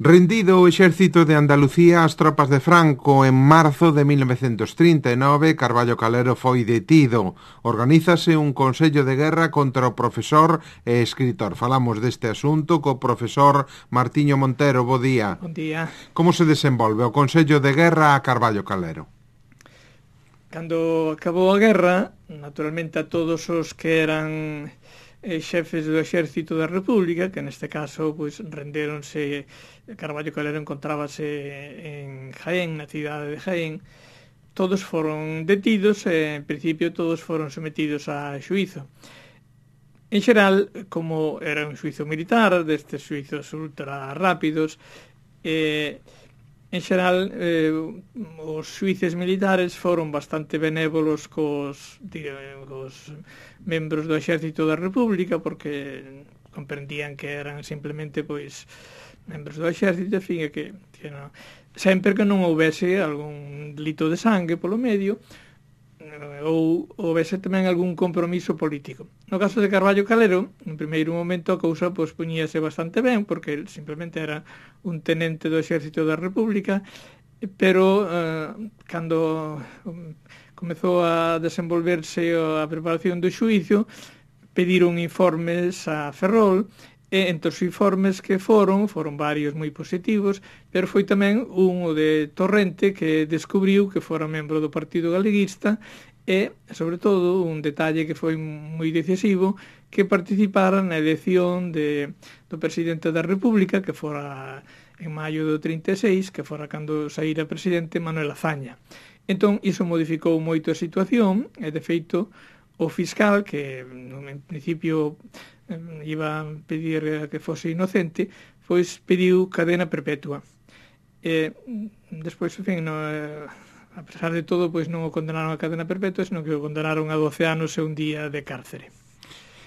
Rendido o exército de Andalucía ás tropas de Franco en marzo de 1939, Carballo Calero foi detido. Organízase un consello de guerra contra o profesor e escritor. Falamos deste asunto co profesor Martiño Montero. Bo día. Bon día. Como se desenvolve o consello de guerra a Carballo Calero? Cando acabou a guerra, naturalmente a todos os que eran xefes do exército da República, que neste caso pois renderonse. Carballo Calero encontrábase en Jaén, na cidade de Jaén. Todos foron detidos e, en principio, todos foron sometidos a xuízo. En xeral, como era un xuízo militar, destes xuízos ultra rápidos, en xeral, os xuíces militares foron bastante benévolos cos membros do exército da República, porque comprendían que eran simplemente pois membros do exército, en fin, que non, sempre que non houbese algún delito de sangue polo medio, ou houbese tamén algún compromiso político. No caso de Carballo Calero, en primeiro momento a cousa pois poñíase bastante ben, porque ele simplemente era un tenente do exército da República, pero cando comezou a desenvolverse a preparación do xuízo, pediron informes a Ferrol, e entre os informes que foron varios moi positivos, pero foi tamén un de Torrente que descubriu que fora membro do Partido Galeguista e, sobre todo, un detalle que foi moi decisivo, que participara na elección do presidente da República, que fora en maio do 36, que fora cando saíra presidente Manuel Azaña. Entón, iso modificou moito a situación, e, de feito, o fiscal, que en principio iba a pedir que fose inocente, pois pediu cadena perpetua. Despois, en fin, a pesar de todo, pois non o condenaron a cadena perpetua, senón que o condenaron a 12 anos e un día de cárcere.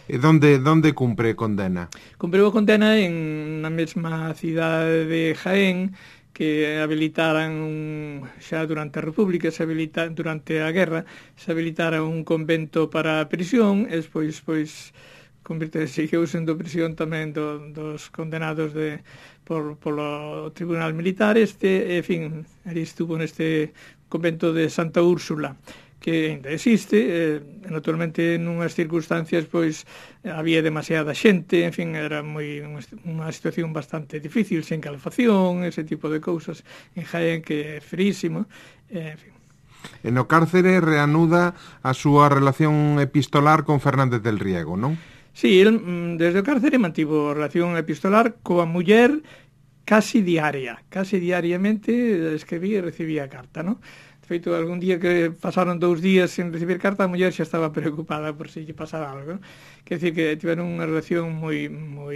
E onde cumpre condena? Cumpriu a condena na mesma cidade de Jaén, que habilitaran xa durante a República, durante a guerra, se habilitara un convento para a prisión, e despois seguiu sendo prisión tamén dos condenados polo Tribunal Militar. En fin, ali estuvo neste convento de Santa Úrsula, que ainda existe, naturalmente nunhas circunstancias pois había demasiada xente, en fin, era unha situación bastante difícil, sen calefacción, ese tipo de cousas en Jaén, que é frísimo, en fin. E no cárcere reanuda a súa relación epistolar con Fernández del Riego, non? Sí, el desde o cárcere mantivo relación epistolar coa muller casi diariamente escribía e recibía carta, non? De feito, algún día que pasaron 2 días sen recibir carta, a muller xa estaba preocupada por se lle pasara algo, non? Quer dizer que tiveron unha relación moi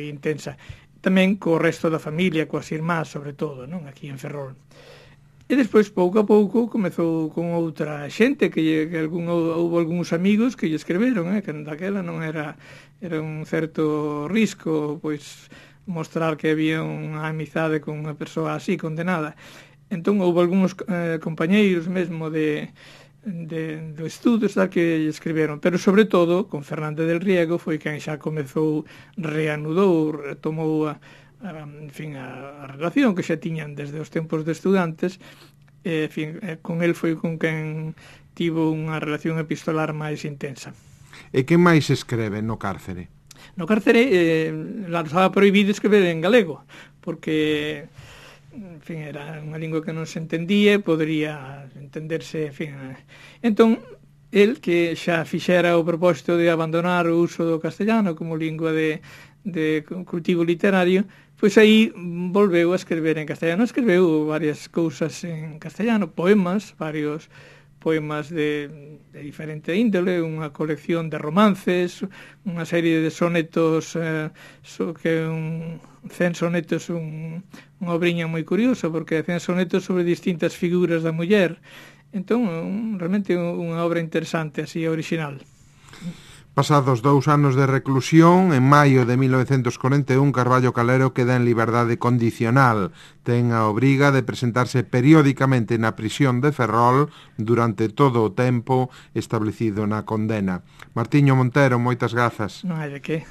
intensa. Tamén co resto da familia, coas irmás, sobre todo, non? Aquí en Ferrol. E despois, pouco a pouco, comezou con outra xente, houve algúns amigos que lle escreveron, que daquela non era un certo risco, pois, mostrar que había unha amizade con unha persoa así, condenada. Entón, houve algúns compañeiros mesmo do estudo que lle escreveron, pero sobre todo, con Fernández del Riego, foi quen xa comezou, reanudou, retomou a relación que xa tiñan desde os tempos de estudantes, con el foi con quen tivo unha relación epistolar máis intensa. E que máis escreve no cárcere? No cárcere estaba prohibido escrever en galego, porque era unha lingua que non se entendía, podría entenderse, entón, el que xa fixera o propósito de abandonar o uso do castellano como lingua de cultivo literario, pois aí volveu a escrever en castellano. Escreveu varias cousas en castellano, varios poemas de diferente índole, unha colección de romances, unha serie de sonetos, que 100 sonetos, unha obriña moi curiosa, porque 100 sonetos sobre distintas figuras da muller. Entón, realmente unha obra interesante, así, original. Pasados 2 anos de reclusión, en maio de 1941, Carballo Calero queda en liberdade condicional. Ten a obriga de presentarse periódicamente na prisión de Ferrol durante todo o tempo establecido na condena. Martiño Montero, moitas grazas. Non hai de que.